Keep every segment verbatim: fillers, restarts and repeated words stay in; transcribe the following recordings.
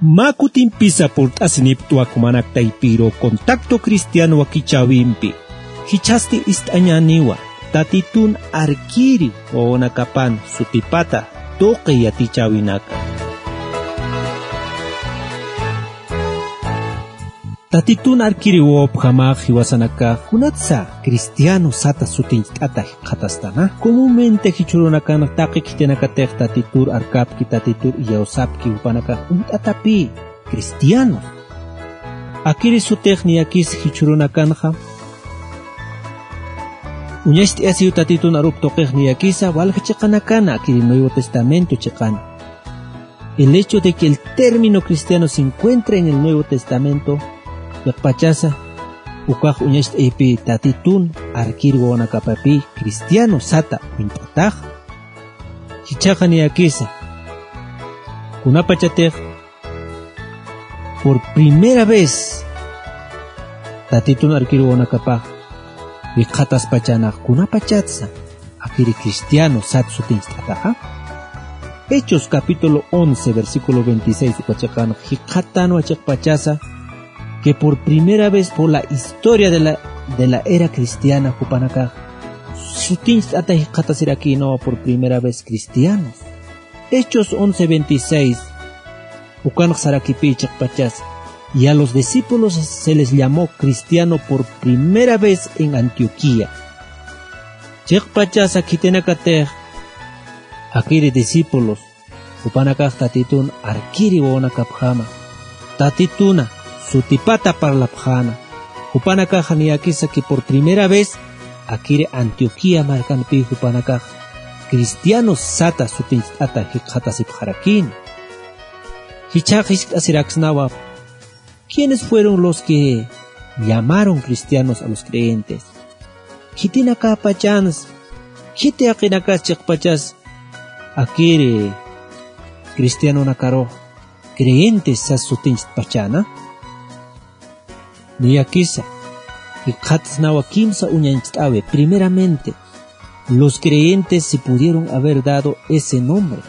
Mä kutimpisa purt'asiniptwa jumanak taypiru Contacto Cristiano wakichäwimpi. Jichhasti ist'añäniwa, Tatitun arkiri wawanakapan sutipata tuqi yatichäwinaka. Tatitun arkiri wawapjamäx jiwasanakax, kunatsa cristiano sata sutincht'ata jikxatastana. Comúnmente jichhürunakan taqi khitinakatix Tatitur arkapki, Tatitur iyawsapki, jupanakax uñt'atapï cristianos. Akiri sutix niyakis jichhürunakanxa, uñacht'ayasiw Tatitun arup tuqix niyakisa, walja chiqanakana, akiri Nuevo Testamento chiqana. El hecho de que el término cristiano se encuentra en el Nuevo Testamento, chiqpachasa, ukax uñacht'aypï Tatitun arkir wawanakapapï cristiano sata uñt'atax. Jichhaxa niyakisa, kunapachatix por primera vez Tatitun arkir wawanakapax jikxataspachänax, kunapachatsa akiri cristiano sat sutincht'ataxa. Hechos capítulo once, versículo veintiséis, uka chiqan jikxatanwa chiqpachasa, que por primera vez por la historia de la, de la era cristiana, jupanakax sutincht'ata jikxatasirakïnawa por primera vez cristianos. Hechos once veintiséis, ukanx sarakipï chiqpachas, y a los discípulos se les llamó cristiano por primera vez en Antioquía. Chiqpachasa khitinakatix, akiri discípulos, jupanakax Tatitun arkiri wawanakapjama, Tatituna sutipata parlapxäna, jupanakaxa niyakisa que por primera vez akiri Antioquía markanpï jupanakax cristianos sata sutincht'ata jikxatasipxarakïna. Jichhax jiskt'asiraksnawa, ¿quiénes fueron los que llamaron cristianos a los creyentes? Khitinakäpachans, khiti jaqinakas chiqpachas akiri cristianonakarux creyentes sas sutincht'apachäna? Niyakisa, jikxatsnawa kimsa uñancht'äwi. Primeramente, los creyentes se pudieron haber dado ese nombre.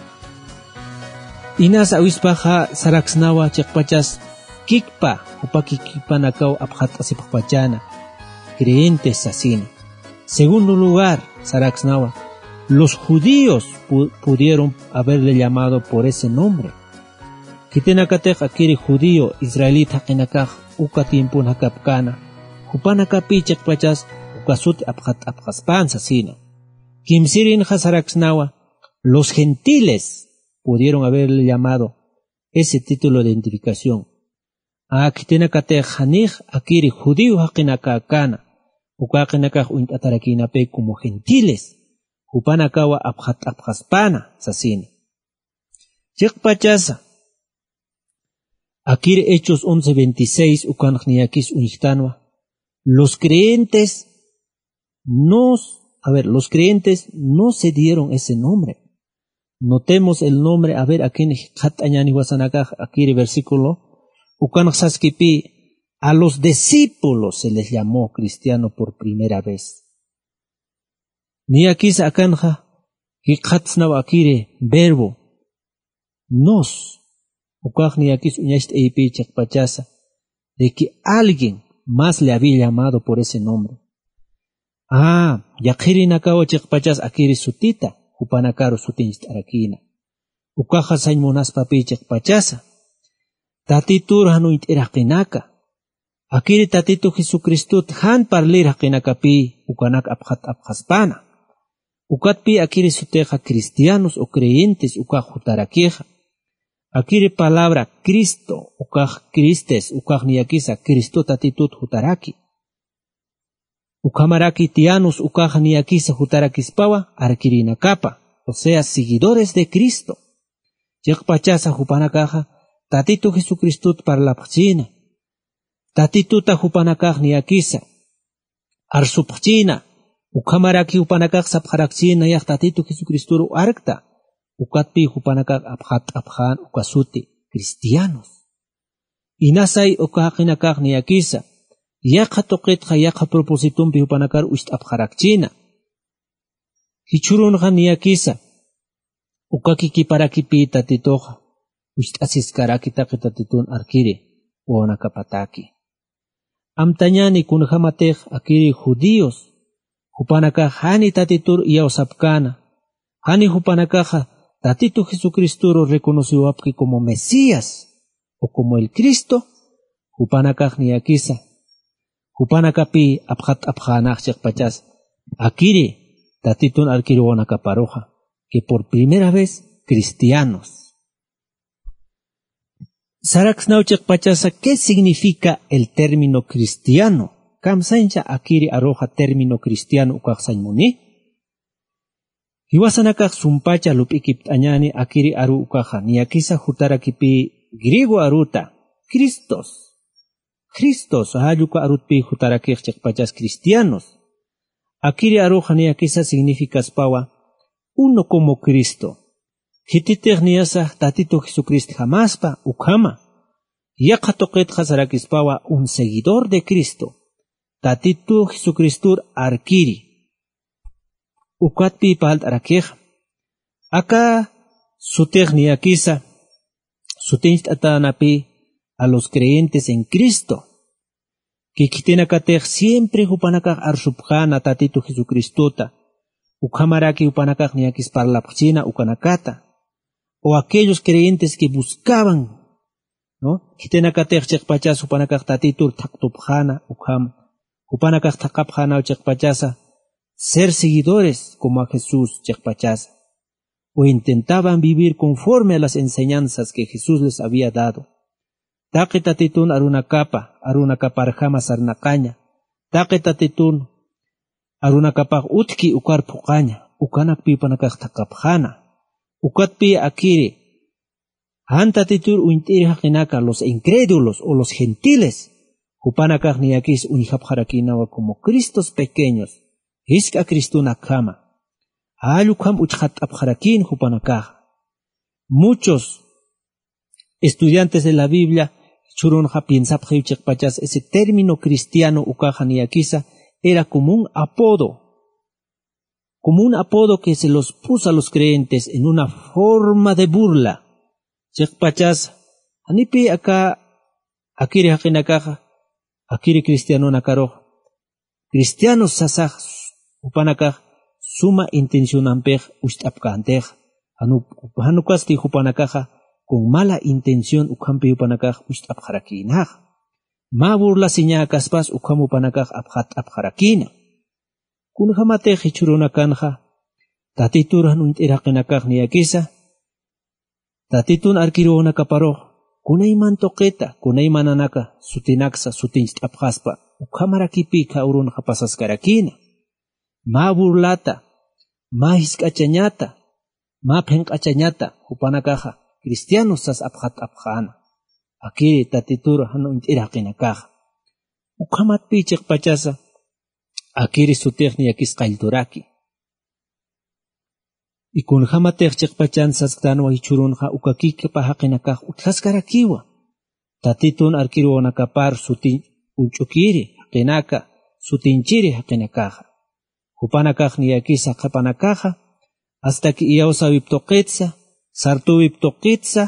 Inas awispaxa saraksnawa chiqpachas kikpa, jupa kikpanakaw apxatt'asipxpachäna, creyentes sasina. Segundo lugar, saraksnawa, los judíos pu-, pudieron haberle llamado por ese nombre. Khitinakatix akiri judío, israelita jaqinakax uka tiempon jakapkäna, jupanakapï chiqpachas uka suti apxatt'apxaspän sasina. Kimsirinxa saraksnawa, los gentiles pudieron haberle llamado ese título de identificación. A, khitinakatix janix akiri judío jaqinakäkäna, uka jaqinakax uñt'atarakïnapï como gentiles, jupanakawa apxatt'apxaspäna sasina. Chiqpachasa, akiri Hechos once veintiséis ukanx niyakis uñjtanwa, los creyentes nos, a ver, los creyentes no se dieron ese nombre. Notemos el nombre, a ver, akin jikxatt'añäni jiwasanakax, akiri versículo, ukanx saskipï, a los discípulos se les llamó cristiano por primera vez. Niyakisa akanxa, jikxatsnawa akiri verbo, nos, ukax niyakis uñacht'aypï chiqpachasa, de que alguien más le había llamado por ese nombre. Ah, yaqhirinakawa chiqpachas akiri sutita, jupanakaru sutincht'arakïna. Ukaxa sañ munaspapï chiqpachasa, Tatitur jan uñt'ir jaqinaka, akiri Tatitu Jesucristot jan parlir jaqinakapï ukanak apxatt'apxaspäna. Ukatpï akiri sutixa cristianos o creyentes ukax jutarakixa. Akiri palabra Cristo, ukax Cristes, ukax niyakisa Cristo Tatitut jutaraki. Ukhamaraki tianos ukax niyakisa jutarakispawa arkirinakapa, o sea, seguidores de Cristo. Chiqpachasa jupanakaxa Tatitu Jesucristot parlapxchïna. Tatituta jupanakax niyakisa arsupxchïna, ukhamaraki jupanakax sapxarakchïna, nayax Tatitu Jesucristoru arkta, ukatpï jupanakax apxatt'apxän uka suti, cristianos. Inasay uka jaqinakax niyakisa, yaqha tuqitxa yaqha propósitompi jupanakar ucht'apxarakchïna. Jichhürunxa niyakisa, uka kikiparakipï Tatituxa, Ust'asiskaraki taqi tatitun arkiri wawanakapataki. Amtañani kunjamatix akiri judíos jupanakax jani tatitur iyawsapkana, jani jupanakaxa tatitu jesucristoru reconociwapki como mesías o como el cristo, jupanakax niyakisa jupanakapi apxat'apxänax chiqpachas akiri tatitun arkiruwanakaparuxa, que por primera vez cristianos. Saraksnaw chiqpachasa, ¿qué significa el término cristiano? Kamsañcha akiri aruxa término cristiano ukaxsañ muni. Jiwasanakax sumpacha lup'ikipt'añani akiri aru ukaxa niyakisa jutarakipï griego aruta, cristos. Cristos jalluka arutpï jutarakix chiqpachas cristianos. Akiri aruxa niyakisa significaspawa uno como cristo. Khititix niyasa tatitu jesucristjamaspa ukhama. Yaqha tuqitxa sarakispawa un seguidor de cristo, tatitu jesucristor arkiri. Ukatpï parlt'arakixa aka sutix niyakisa sutincht'atänapï a los creyentes en cristo. Khitinakatix siempre jupanakax arsupxäna tatitu jesucristota, ukhamaraki jupanakax niyakis parlapxchina ukanakata. O aquellos creyentes que buscaban, ¿no? Khitinakatix chiqpachas jupanakax tatitur thaqtupxäna ukham jupanakax thaqapxänaw chiqpachasa ser seguidores como a jesús chiqpachasa, o intentaban vivir conforme a las enseñanzas que jesús les había dado. Taqi tatitun arunakapa arunakaparjama sarnaqaña, taqi tatitun arunakapax utjki ukar phuqaña, ukanakpï jupanakax thaqapxäna. Ukatpï akiri jan tatitur uñt'ir jaqinaka los incrédulos o los gentiles, jupanakax niyakis uñjapxarakïnawa como cristos pequeños, jisk'a cristonakjama. Jall ukham uchxatt'apxarakïn jupanakaxa. Muchos estudiantes de la biblia jichhürunxa piensapxiw chiqpachas ese término cristiano ukaxa niyakisa era como un apodo, como un apodo que se los puso a los creyentes en una forma de burla. Chiqpachas janipï aka akiri jaqinakaxa, akiri cristianonakarux cristianos sasax jupanakax suma intencionampix ucht'apkäntixa. Jan ukasti jupanakaxa con mala intención ukhampi jupanakax ucht'apxarakïnaxa. Mä burlasiñäkaspas ukham jupanakax apxatt'apxarakïna. Kunjamatix jichhürunakanxa tatitur jan uñt'ir jaqinakax niyakisa tatitun arkiruwanakaparux kunayman tuqita kunaymananaka sutinaksa sutincht'apxaspa, ukhamarakipï khä urunxa pasaskarakïna. Mä burlata, mä jisk'achañata, mä phinq'achañata jupanakaxa cristianos sas apxatt'apxäna akiri tatitur jan uñt'ir jaqinakaxa. Ukhamatpï chiqpachasa akiri sutix niyakis qallturaki. Y kunjamatix chiqpachan sasktänwa jichhürunxa uka kikpa jaqinakax utjaskarakiwa tatitun arkiruwanakapar sutin uñch'ukiri jaqinaka, sutinchiri jaqinakaxa. Jupanakax niyakisa qhipanakaxa hasta que iyawsäwip tuqitsa, sartüwip tuqitsa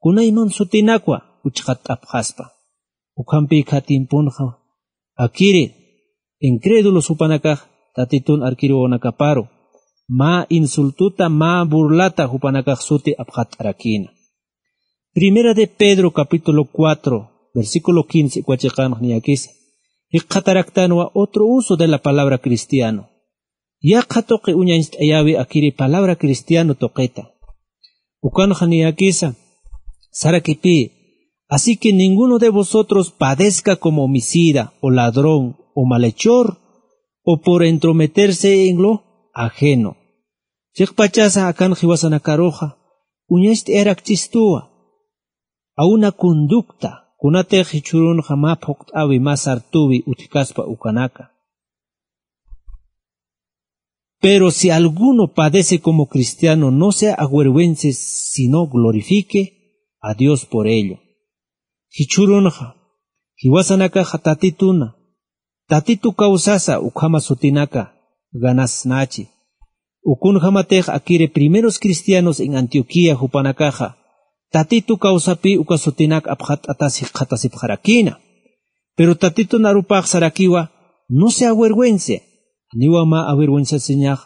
kunayman sutinakwa uchxatt'apxaspa. Ukhampï khä tiemponxa akiri incrédulos jupanakax tatitun arkiruwanakaparu mä insultota, mä burlata jupanakax suti apxatt'arakïna. Primera de Pedro capítulo cuatro, versículo quince uka chiqanx niyakisa jikxataraktanwa otro uso de la palabra cristiano. Yaqha tuqi uñañcht'ayäwi akiri palabra cristiano tuqita. Ukanxa niyakisa sarakipï: así que ninguno de vosotros padezca como homicida o ladrón o malhechor o por entrometerse en lo ajeno. Chiqpachasa akan jiwasanakaruxa uñacht'ayarakchistuwa a una conducta kunatix jichhürunxa mä phuqt'äwi mä sartüwi utjkaspa ukanaka. Pero si alguno padece como cristiano, no se avergüence, sino glorifique a Dios por ello. Jichhürunxa jiwasanakaxa tatituna, tatitu kawsasa ukhama sutinaka ganasnachi. Ukunjamatix akiri primeros cristianos en Antioquía jupanakaxa Tatitu kawsapï uka sutinak apxatt'atas jikxatasipxarakïna. Pero Tatitun arupax sarakiwa, no se avergüence. Janiwa mä avergüenciasiñax,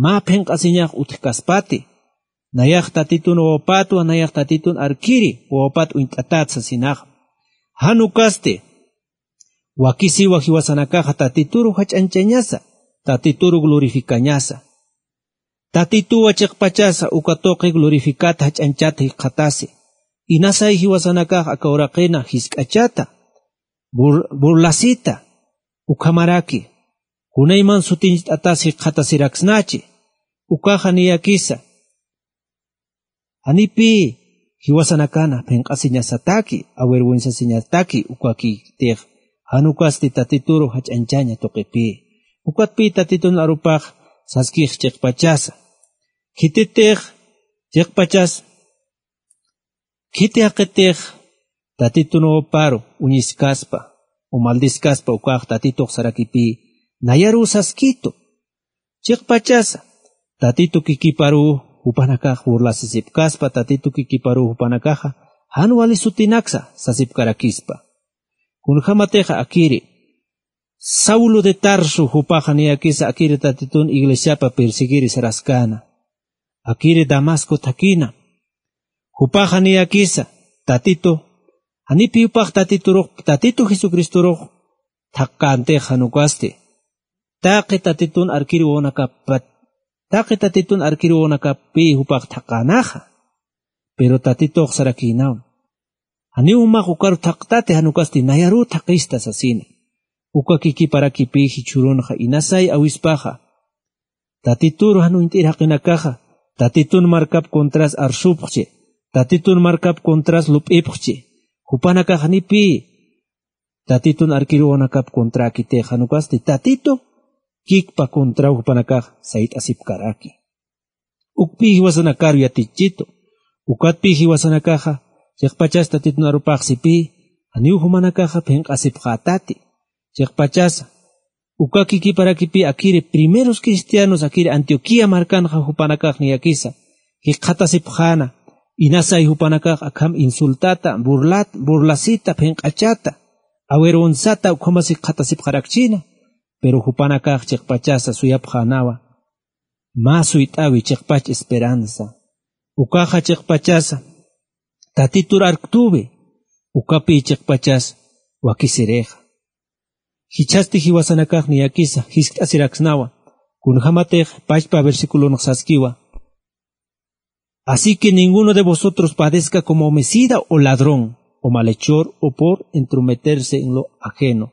mä phinq'asiñax utjkaspati. Nayax Tatitun wawapatwa, nayax Tatitun arkiri wawapat uñt'atat sasinaxa. Jan ukasti, wakisiwa jiwasanakaxa Tatituru jach'añchañasa, Tatituru glorificañasa. Tatituwa chiqpachasa uka tuqi glorificata jach'añchata jikxatasi. Inasay jiwasanakax aka uraqina jisk'achata, bur-, burlasita, ukhamaraki. Kunayman sutincht'atas jikxatasiraksnachi. Ukaxa niyakisa. Janipï jiwasanakana phinq'asiñasataki, avergüenciasiñataki ukakïtix, jan ukasti Tatituru jach'añchaña tuqipï. Ukatpï Tatitun arupax saskix chiqpachasa. Khititix chiqpachas, khiti jaqitix Tatitun wawaparu uñiskaspa, o maldiskaspa ukax Tatitux sarakipï, nayaruw saskitu. Chiqpachasa, Tatitu kikiparuw jupanakax burlasisipkaspa, Tatitu kikiparuw jupanakaxa, jan wali sutinaksa sasipkarakispa. Kunjämatixa akiri, Saulo de Tarso jupaxa niyakisa akiri Tatitun iglesiapa perseguiri saraskäna. Akiri Damasco thakïna. Jupaxa niyakisa, Tatitu, janipï jupax Tatiturux, Tatitu Jesucristurux, thakkäntixa jan ukasti. Taqi Tatitun arkiri wawanakapat, taqi Tatitun arkiri wawanakapï jupax thakänaxa. Pero Tatitux sarakïnaw. Janiw jumax ukaru thaqtati jan ukasti nayaruw thaqista sasina. Uka kikiparakipï jichhürunxa inasay awispaxa. Tatituru jan uñt'ir jaqinakaxa, Tatitun markap contras arsupxchi, Tatitun markap contras lup'ipxchi, jupanakax janipï, Tatitun arkir wawanakap contrakitix jan ukasti Tatitu kikpa contraw jupanakax sayt'asipkaraki. Ukpï jiwasanakaru yatichitu, ukatpï jiwasanakaxa, chiqpachas Tatitun arupax sipï, janiw jumanakaxa phinq'asipxätati, chiqpachasa, uka kikiparakipï akiri primeros cristianos akiri Antioquía markanxa jupanakax niyakisa, jikxatasipxäna, inasay jupanakax akham insultata, burlat-, burlasita, phinq'achata, avergonzata, ukhamas jikxatasipxarakchina, pero jupanakax chiqpachasa suyapxänawa, mä suyt'äwi chiqpach esperanza, ukaxa chiqpachasa, Tatitur arktüwi, ukapï chiqpachas wakisirixa. Jichhasti jiwasanakax niyakisa jiskt'asiraksnawa, kunjämatix pachpa versiculonx saskiwa. Así que ninguno de vosotros padezca como homicida o ladrón o malhechor o por entrometerse en lo ajeno.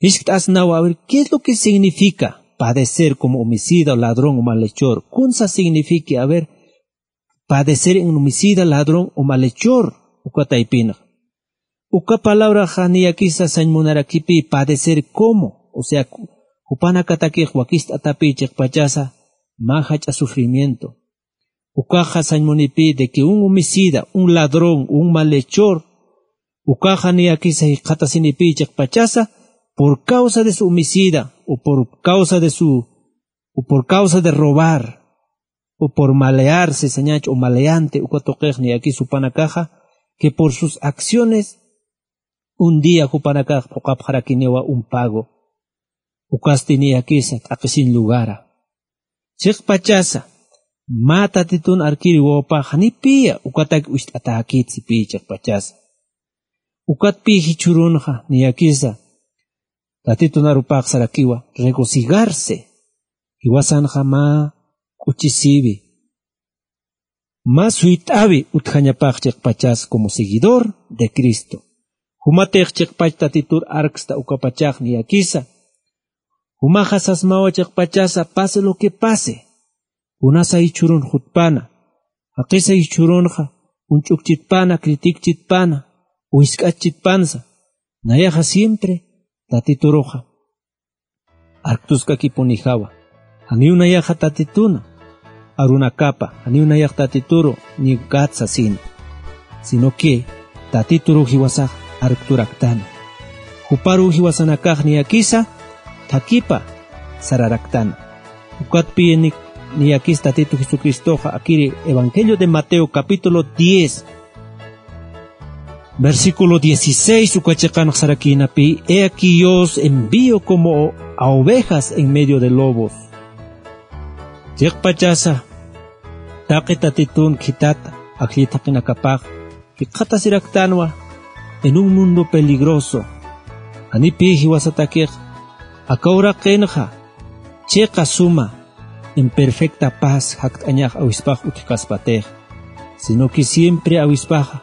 Jiskt'asnawa, a ver, ¿qué es lo que significa padecer como homicida, ladrón o malhechor? ¿Kunsa significa, a ver, padecer en homicida, ladrón o malhechor? Uka taypinxa. Uka palabraxa niyakisa sañ munarakipï padecer como, o sea, ku-, jupanakatakix wakist'atapï chiqpachasa mä jach'a sufrimiento. Ukaxa sañ munipï de que un homicida, un ladrón, un malhechor, ukaxa niyakisa jikxatasinipï chiqpachasa, por causa de su homicida, o por causa de su, o por causa de robar, o por malearse, sañach, o maleante, uka tuqix niyakisa jupanakaxa, que por sus acciones, un día jupanakax phuqhapxarakiniwa un pago. Ukasti niyakisa, t'aqhisiñ lugara. Chiqpachasa, mä Tatitun arkiri wawapax janipïya, ukatak ucht'atäkit sipï chiqpachasa. Ukatpï jichhürunxa, niyakisa, Tatitun arupax sarakiwa, regocijarse. Jiwasanxa mä k'uchisïwi. Mä suyt'äwi utjañapax chiqpachas como seguidor de Cristo. Jumatix chiqpach Tatitur arksta ukapachax niyakisa. Jumaxa sasmawa chiqpachasa pase lo que pase. Kunasa jichhürun jutpana. Jaqisa jichhürunxa, uñch'ukchitpana, criticchitpana, o jisk'achchitpansa. Nayaxa siempre Tatituruxa arktuskakipunijawa. Janiw nayaxa Tatituna arunakapa, janiw nayax Tatituru ninkatsa sina. Sino que Tatituru jiwasax arkturaktana. Juparu jiwasanakax niyakisa, thakipa sararaktana. Ukatpï nik Niyakis Tatitu Jesucristoxa akiri Evangelio de Mateo capítulo diez, versículo dieciséis uka chiqanx sarakïnapï: "He aquí yo os envío como a ovejas en medio de lobos". Chiqpachasa, taqi Tatitun khitata ajllit jaqinakapax jikxatasiraktanwa en un mundo peligroso. Janipï jiwasatakix aka uraqinxa chiqa suma en perfecta paz jakt'añax awispax utjkaspatix, sino que siempre awispaxa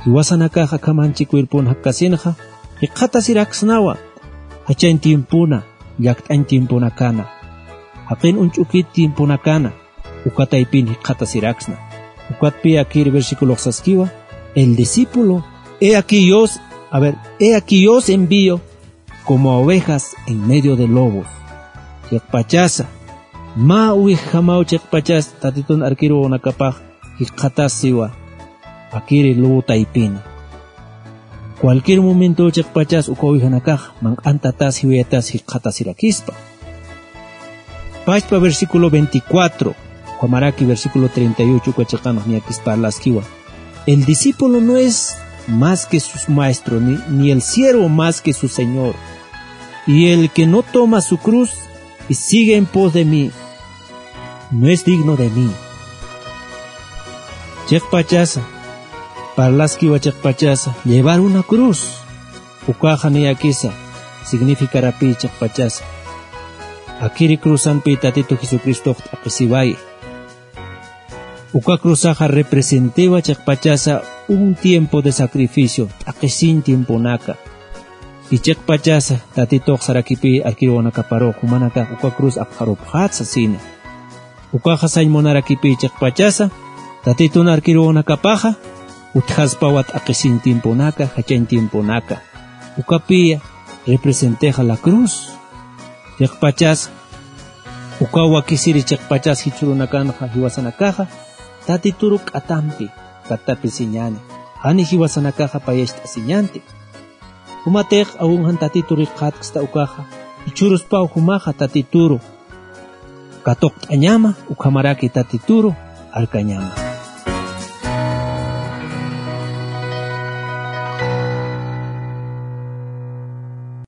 jiwasanakax akhamanchi cuerpon jakkasinxa jikxatasiraksnawa jachañ tiempona, llakt'añ tiemponakana, jaqin uñch'ukit tiemponakana. Uka taypin jikxatasiraksna. Ukatpï akir versículox saskiwa: "El discípulo, he aquí yo os, a ver, he aquí yo os envío como a ovejas en medio de lobos". Chiqpachasa, mä uwijjamaw chiqpachas Tatitun arkiruwanakapax jikxatasiwa akiri lobo taypina. Cualquier momento chiqpachas uka ovejanakax manq'antatas jiwayatas jikxatasirakispa. Pachpa versículo veinticuatro, ukhamaraki versículo treinta y ocho uka chiqanx niyakis parlaskiwa: "El discípulo no es más que su maestro, ni, ni el siervo más que su señor. Y el que no toma su cruz y sigue en pos de mí, no es digno de mí". Chiqpachasa, parlaskiwa chiqpachasa, llevar una cruz. Ukaxa niyakisa significarapï chiqpachasa. Akiri cruzanpï Tatitu Jesucristox t'aqhisiwayi. Uka cruzaxa representewa chiqpachasa un tiempo de sacrificio, t'aqhisiñ tiemponaka. Y chiqpachasa Tatitux sarakipï arkiruwanakaparux, jumanakax uka cruz apxarupxät sasina. Ukaxa sañ munarakipï chiqpachasa, Tatitun arkiruwanakapaxa utjaspawa t'aqhisiñ tiemponaka, jachañ tiemponaka. Ukapï representexa la cruz. Chiqpachasa, uka wakisiri chiqpachas jichhürunakanxa jiwasanakaxa Tatituru k'atampi kattapisiñäni, jani jiwasanakaxa payacht'asiñanti. Jumatix awinjan Tatituru jikxatksta ukaxa, jichhüruspaw jumaxa Tatituru katuqt'añama, ukhamaraki Tatituru arkañama.